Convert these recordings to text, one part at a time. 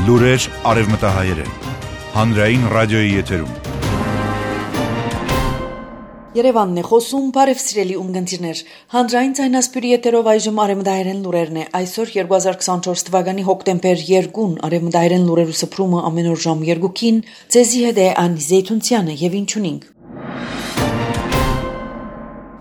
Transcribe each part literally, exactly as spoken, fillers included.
Լուրեր արևմտահայերեն, հանրային ռադիոյի եթերում։ Երևանն է խոսում, բարև սիրելի ունգընտիրներ, հանրային ձայնասպյուրի եթերով այժմ արևմտահայերեն լուրերն է, այսօր երկու հազար քսանչորս թվականի հոկտեմբեր երկին արևմտահայերեն լուրերու սփռումը ամեն օր ժամ երկուքին, ձեզի հետ է Անի Զեյթունցյանը եւ ինչունինք։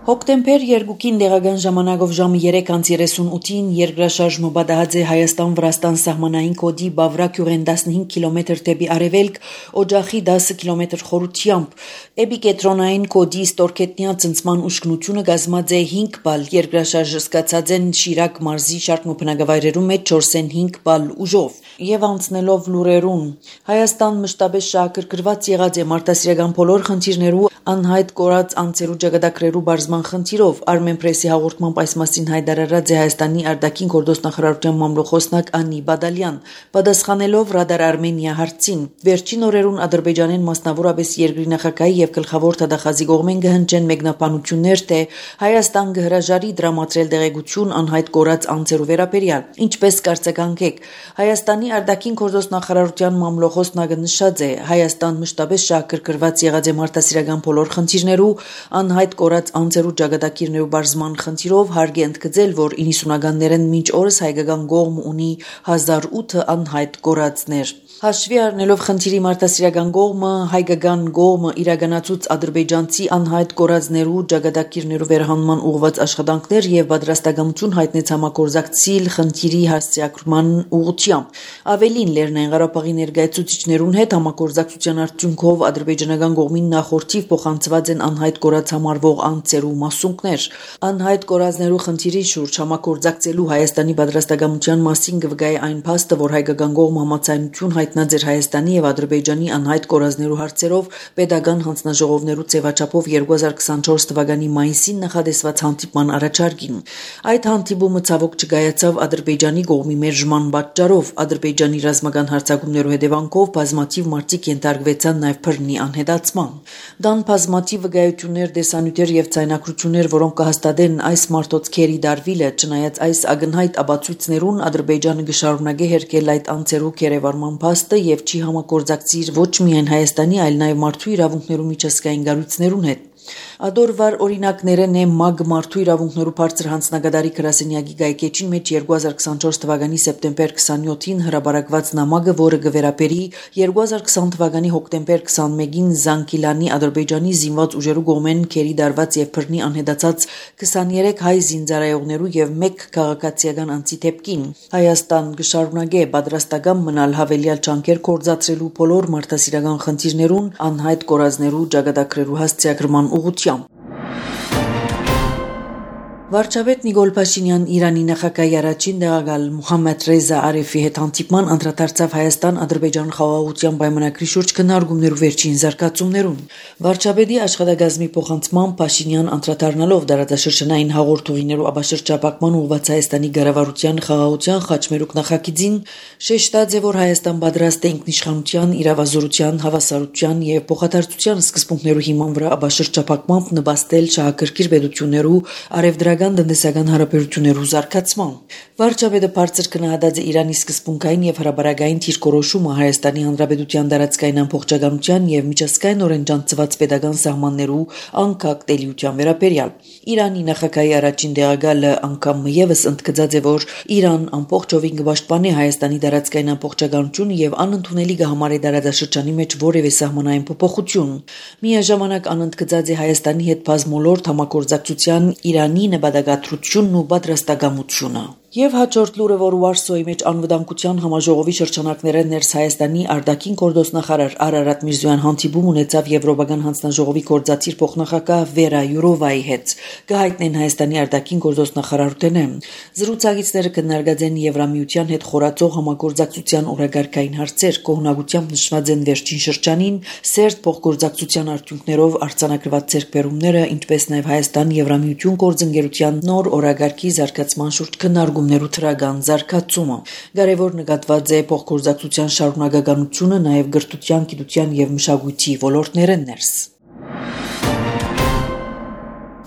Հոկտեմբեր երկուքին դեղական ժամանակով ժամը երեք անց երեսունութին երկրաշարժը բադահած է Հայաստան-Վրաստան սահմանային կոդի Բավրա գյուղեն տասնհինգ կիլոմետր դեպի արևելք, օջախի դասը կիլոմետր խորությամբ։ Էպիկենտրոնային կոդի ստորգետնյա ծնծման ուշքնությունը կազմած է հինգ բալ, երկրաշարժը սկսած են Շիրակ մարզի շարք բնակավայրերում մեջ չորսենհինգ բալ ուժով։ Եվ անցնելով լուրերուն, Հայաստան մշտապես շահագրգռված եղած է մարդասիրական բոլոր խնդիրներու անհայտ կորած անձերու ճակատագրերու բարձման խնդիրով Armen Press-ի հաղորդմամբ այս մասին հայտարարած է Հայաստանի արտաքին գործնախարարության մամլոխոսնակ Անի Բադալյան, պատասխանելով Radar Armenia հարցին։ Վերջին օրերուն Ադրբեջանեն մասնավորապես երկրի նախագահի եւ գլխավոր թադախազի կողմեն գհնչեն մեկնաբանություններ, թե Հայաստան կհրաժարի դրամատրել դեղեցություն անհայտ կորած անձերու վերաբերյալ։ Ինչպես կարծեքանքեք, Հայաստանի արտաքին գործնախարարության մամլոխոսնակը նշած է Հայաստան մշտապես շահագրգռված եղած է մարդասիրական բոլոր խնդիրներու անհայտ կորած անձերու ճակատագիրներու բարձման խնդիրով հարկ է ընդգծել, որ իննսունականներեն մինչ օրս հայկական կողմ ունի հազար ութ անհայտ կորածներ։ Հաշվի առնելով խնդիրի մարդասիրական կողմը, հայկական կողմը իրականացուց ադրբեջանցի անհայտ կորածներու ճակատագիրներու վերահանման ուղղված աշխատանքներ եւ պատրաստակամություն հայտնեց համագործակցել խնդիրի հասցեագրման ուղղությամբ։ Ավելին Լեռնային Ղարաբաղի ներկայացուցիչներուն հետ համագործակցության արդյունքով ադրբեջանական կողմին նախորդիվ փոխանցված են անհայտ կորած համարվող անձերու մասունքներ։ Անհայտ կորածներու խնդիրի շուրջ համագործակցելու Հայաստանի պատրաստակամության մասին կվկայի այն փաստը, որ հայկական կողմը համաձայնություն հայտնած էր Հայաստանի եւ Ադրբեջանի անհայտ կորածներու հարցերով պետական հանձնաժողովներու ձևաչափով երկու հազար քսանչորս թվականի մայիսին նախադեсված հանդիպման առաջարկին։ Այդ հանդիպումը ցավոք չկայացավ Ադրբեջանի կողմի մերժման պատճառով։ Ադրբեջանի ռազմական հարձակումներու հետևանքով բազմաթիվ մարդիկ ենթարկվեցան նաեւ բռնի անհետացման։ Դան բազմաթիվ վկայություններ, դեսանյութեր եւ ցայնակրություններ, որոնք կհաստատեն այս մարտոցքերի դարվիլը, չնայած այս ակնհայտ աբացույցներուն Ադրբեջանը կշարունակի հերկել այդ անձերու կերևարման փաստը եւ չի համագործակցիր ոչ միայն Հայաստանի, այլ նաեւ մարդու իրավունքներու միջազգային կառույցներուն հետ։ Ադորվար օրինակներն է ՄԱԳ մարդու իրավունքներու բարձր հանձնագետարի գրասենյակի գայքեջին մեջ երկու հազար քսանչորս թվականի սեպտեմբեր քսանյոթին հրապարակված նամակը, որը կվերապերի երկու հազար քսան թվականի հոկտեմբեր քսանմեկին Զանկիլանի Ադրբեջանի զինված ուժերու կողմեն քերի դարված եւ բռնի անհետացած քսաներեք հայ զինծառայողներու եւ մեկ քաղաքացիական անձի դեպքին Հայաստան կշարունակի պատրաստական մնալ հավելյալ ջանքեր կործացրելու բոլոր մարդասիրական խնդիրներուն անհայտ կորածներու ճակատագրերու հասցեագրման ուղղությամբ։ Վարչապետ Նիկոլ Փաշինյան Իրանի նախագահի առաջին տեղակալ Մուհամմեդ Ռեզա Արիֆի հետ հանդիպման անդրադարձավ Հայաստան-Ադրբեջան խաղաղության պայմանագրի շուրջ քննարկումներու վերջին զարգացումներուն։ Վարչապետի աշխատակազմի փոխանցմամբ Փաշինյան անդրադառնալով դարաշրջանային հաղորդումներու աբաշրջապակման ուղղված Հայաստանի ղեկավարության խաղաղության խաչմերուկ նախագիծին շեշտած է, որ Հայաստան պատրաստ է ինքնիշխանության, իրավազորության, հավասարության եւ փոխադարձության սկզբունքներու հիման վրա աբաշրջապակմամբ նպաստել շահագրգիռ պետություններու արևդրական տնտեսական հարաբերություններու զարգացման։ Վարչապետը բարձր գնահատած է Իրանի սկզբունքային եւ հրաբարակային դիրքորոշումը Հայաստանի Հանրապետության տարածքային ամբողջականության եւ միջազգայինորեն ճանաչված պետական սահմաններու անկախ տելիության վերաբերյալ։ Իրանի նախագահի առաջին տեղակալը անգամ եւս ընդգծած է, որ Իրան ամբողջովին կպաշտպանի Հայաստանի տարածքային ամբողջականությունը եւ անընդունելի կհամարի տարածաշրջանի մեջ որևէ սահմանային փոփոխություն։ Միաժամանակ անընդգծած է Հայաստանի հետ բազմոլորտ համագործակցության Իրանի նպատակադրությունն ու պատրաստակամությունը։ Եվ հաջորդ լուրը, որ Վարշավայի մեջ անվտանգության համաժողովի շրջանակները ներս Հայաստանի արտաքին գործնախարար Արարատ Միրզոյան հանդիպում ունեցավ Եվրոպական հանձնաժողովի գործադիր փոխնախագահ Վերա Յուրովայի հետ։ Կհայտնեն Հայաստանի արտաքին գործնախարարութենը։ Զրուցակիցները քննարկած են Եվրամիության հետ խորացող համագործակցության օրակարգային հարցեր, կողմնակությամբ նշված են վերջին շրջանին սերտ փոխգործակցության արդյունքներով արձանագրված ձեռքբերումները, ինչպես նաև Հայաստան-Եվրամիություն գործընկերության նոր օրակարգի զարգացման շուրջ քննարկում ներու թրագան զարգացումը։ Կարևոր նկատված է փոխգործակցության շարունակականությունը նաև գրթության, գիտության եւ մշակույթի ոլորտներեն ներս։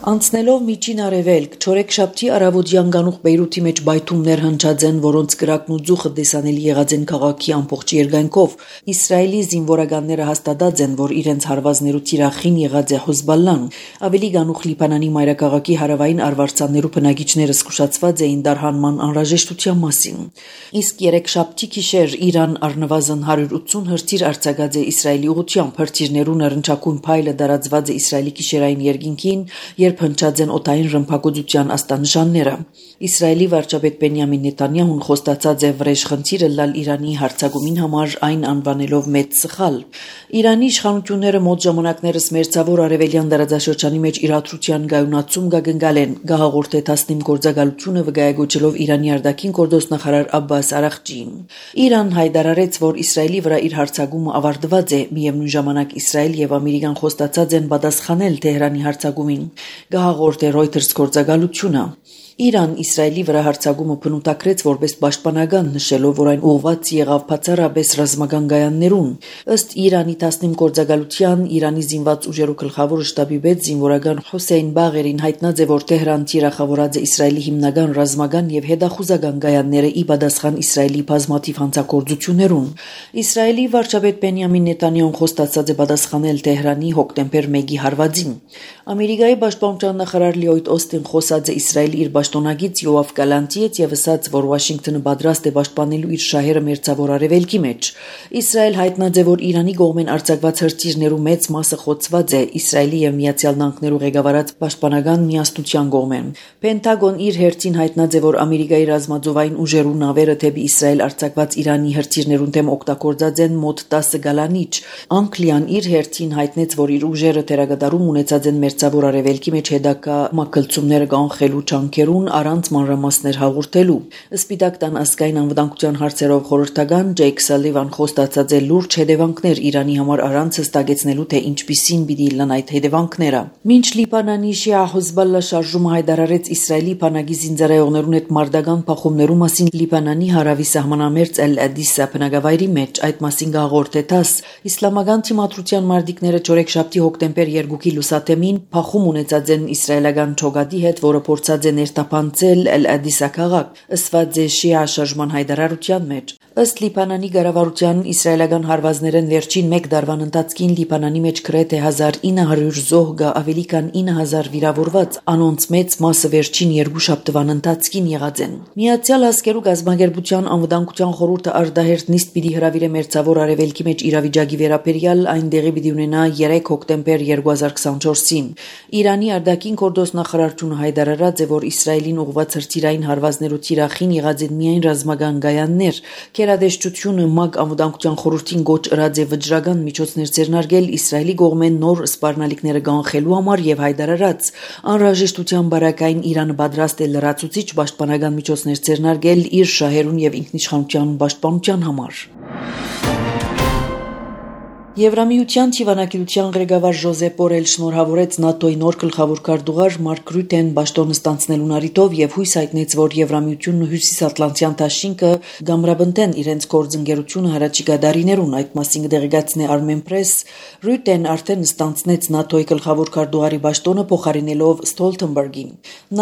Անցնելով միջին արևելք, չորեքշաբթի առավոտյան գանուխ Բեյրութի մեջ բայթումներ հնչած են, որոնց կրակն ու ձուխը տեսանելի եղած են քաղաքի ամբողջ երկայնքով։ Իսրայելի զինվորականները հաստատած են, որ իրենց հարվածներու թիրախին եղած է Հեզբոլլան։ Ավելի գանուխ Լիբանանի մայրաքաղաքի հարավային արվարձաններու բնակիչները զսկուշացված էին դարհանման անհրաժեշտության մասին։ Իսկ երեքշաբթի գիշեր Իրան առնվազն հարյուր ութսուն հրթիռ արձակած է Իսրայելի ուղղությամբ։ Հրթիռներու նռնչակուն փայլը դարածված է Իսրայելի գիշերային երկինքին, երբ հնչած են օդային ռմբակոծության աստանշանները։ Իսրայելի վարչապետ Բենյամին Նեթանյահուն խոստացած է վրեժ խնդիրը լալ Իրանի հարձակումին համար, այն անվանելով մեծ սխալ։ Իրանի իշխանությունները մոտ ժամանակներս մերձավոր արևելյան տարածաշրջանի մեջ իրադրության գայունացում գագնգալ են, գահաղորդ է Թասնիմ գործակալությունը վկայակոչելով Իրանի արտաքին գործոստնախարար Աբբաս Արաղջիին։ Իրան հայտարարեց, որ Իսրայելի վրա իր հարձակումը ավարտված է, միևնույն ժամանակ Իսրայել եւ Ամերիկան խոստացած են պատասխանել Թեհրանի հարձակումին։ Գահաղորդ է Reuters գործակալությունը։ Իրան Իսրայելի վրա հարձակումը բնութագրեց որպես պաշտպանական, նշելով, որ այն ուղղված եղավ բացառապես ռազմական գայաններուն։ Ըստ Իրանի Թասնիմ գործակալության, Իրանի զինված ուժերու գլխավոր շտաբի պետ զինվորական Հոսեյն Բաղերին հայտնած է, որ Թեհրան թիրախավորած է Իսրայելի հիմնական ռազմական եւ հետախուզական գայանները ի պատասխան Իսրայելի բազմաթիվ հանցագործություններուն։ Իսրայելի վարչապետ Բենյամին Նեթանյահուն խոստացած է պատասխանել Թեհրանի հոկտեմբեր մեկի հարվածին։ Ամերիկայի պաշտպանության նախարար Լյոյդ Օստին խոսած է Իսրայելի իր պաշտոնագից Յոավ Գալանտի հետ եւ ասաց, որ Վաշինգտոնը պատրաստ է պաշտպանելու իր շահերը մերձավոր արևելքի մեջ։ Իսրայել հայտնած է, որ Իրանի կողմեն արձակված հրթիռներու մեծ մասը խոցված է Իսրայելի եւ Միացյալ Նահանգներու ղեկավարած պաշտպանական միասնության կողմեն։ Պենտագոն իր հերթին հայտնած է, որ Ամերիկայի ռազմածովային ուժերու նավերը թեպի Իսրայել արձակված Իրանի հրթիռներուն դեմ օգտագործած են մոտ տասը գալանիչ։ Անգլիան իր հերթին հայտնեց, որ իր ուժերը թերագադարում ունեցած են մերձավոր արևելքի մեջ հետագա մակլցումները կանխելու ճանկերուն առանց մանրամասներ հաղորդելու։ Սպիտակ տան ազգային անվտանգության հարցերով խորհրդական Ջեյք Սալիվան խոստացած է լուրջ հետևանքներ Իրանի համար առանց հստակեցնելու, թե ինչպիսին պիտի լան այդ հետևանքները։ Մինչ Լիբանանի շիա Հեզբոլլա շարժումը հայտարարեց Իսրայելի բանակի զինծառայողներուն հետ մարտական փախումներու մասին Լիբանանի հարավի սահմանամերձ Էլ-Ադիսա բնակավայրի մեջ, այդ մասին գաղորդ է ՏԱՍ, իսլամական թիմադրության մարտիկները չորեքշաբթի հոկտեմբեր երկուքի լուսադեմին փախում ունեցած են իսրայելական ճոգադի հետ, որը փորձած է ներթափանցել Էլ-Ադիսա քաղաք, ըսված է շիա շարժման հայտարարության մեջ։ Ըստ Լիբանանի կառավարության, իսրայելական հարվածներն վերջին մեկ դարվան ընթացքին Լիբանանի մեջ գրեթե հազար ինը հարյուր զոհ գա, ավելի քան ինը հազար վիրավորված, անոնց մեծ մասը վերջին երկու շաբթվան ընթացքին եղած են։ Միացյալ Ազգերու Գազագերբության անվտանգության խորհուրդը արդահերթ նիստ պիտի հրավիրե մերձավոր արևելքի մեջ իրավիճակի վերաբերյալ, այն դեղի պիտի ունենա երեք հոկտեմբեր երկու հազար քսանչորսին։ Իրանի արտաքին գործոստնախարարությունը հայտարարած է, որ Իսրայելին ուղղված հրթիռային հարվածներու թիրախին եղած են միայն ռազմական գայաններ։ Գերադեսչությունը ՄԱԿ անվտանգության խորհրդին գոչ ըրած է վճռական միջոցներ ձեռնարկել Իսրայելի կողմեն նոր սպառնալիքները կանխելու համար եւ հայտարարած անհրաժեշտության բարակային Իրանը պատրաստ է լրացուցիչ պաշտպանական միջոցներ ձեռնարկել իր շահերուն եւ ինքնիշխանության պաշտպանության համար։ Եվրամիության թիվանակիրության ղեկավար Ժոզեփ Բորել շնորհավորեց ՆԱՏՕ-ի նոր գլխավոր քարտուղար Մարկ Ռյուտեն պաշտոնը ստանձնելուն առիթով եւ հույս հայտնեց, որ Եվրամիությունն ու Հյուսիսատլանտյան դաշինքը կամրապնդեն իրենց գործընկերությունը հրաչիկա դարիներուն, այդ մասին կդեղեկացնի Armen Press։ Ռյուտեն արդեն ստանձնեց ՆԱՏՕ-ի գլխավոր քարտուղարի պաշտոնը փոխարինելով Ստոլթենբերգին։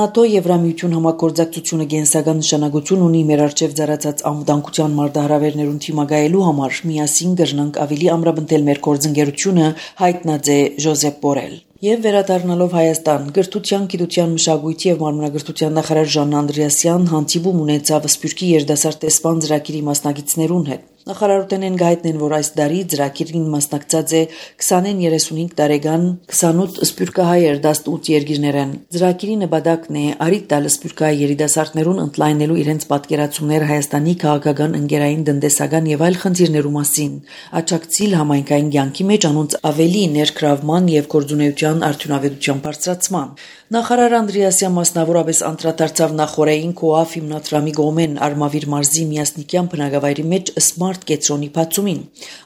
ՆԱՏՕ-Եվրամիություն համագործակցությունը գենսական նշանակություն ունի մեր արչեւ ծառացած անվտանգության մարտահրավերներուն թիմակայելու համար, միասին կրնանք ավելի ամրապնդել մեր գործընկերությունը, հայտնած է Ժոզեփ Բորել։ Եվ վերադառնալով Հայաստան, Գրթության, Գիտության, Մշակույթի եւ Մարմնագրթության նախարար Ժան Անդրեասյան հանդիպում ունեցավ Սփյուռքի երիտասարդ տեսփան ծրագրի մասնակիցներուն հետ։ Նախարարութենեն գայտնեն, որ այս տարի ծրագիրին մասնակցած է քսանեն երեսունհինգ տարեկան քսանութ սփյուռքահայեր տասնութ երկիրներեն։ Ծրագիրի նպատակն է արիթ տալ սփյուռքահայ երիտասարդներուն ընդլայնելու իրենց պատկերացումները Հայաստանի քաղաքական, ընկերային, տնտեսական եւ այլ խնդիրներու մասին, աջակցել համայնքային կյանքի մեջ անոնց ավելի ներգրավման եւ գործունեության արդյունավետության բարձրացման։ Նախարար Անդրեասյան մասնավորապես անդրադարձավ նախորդային Կոաֆ հիմնադրամի կողմեն Արմավիր մարզի Միասնիկյան բնակավայրի մեջ Smart կետրոնի բացումին։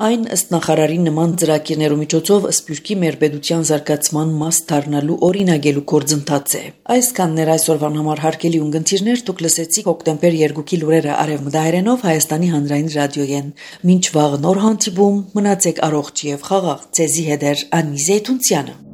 Այն ըստ նախարարի նման ծրագիրներու միջոցով Սփյուռքի մեր պետության զարգացման մաս դառնալու օրինագելու գործընթաց է։ Այսքանն էր այսօրվան համար հարգելի ունգընտիրներ, դուք լսեցիք հոկտեմբեր երկուքի լուրերը արևմտահայերենով Հայաստանի հանրային ռադիոյեն։ Մինչ վաղ նոր հանդիպում, մնացեք առողջ եւ խաղաղ։ Ձեզի հետ է Անի Զեյթունցյանը։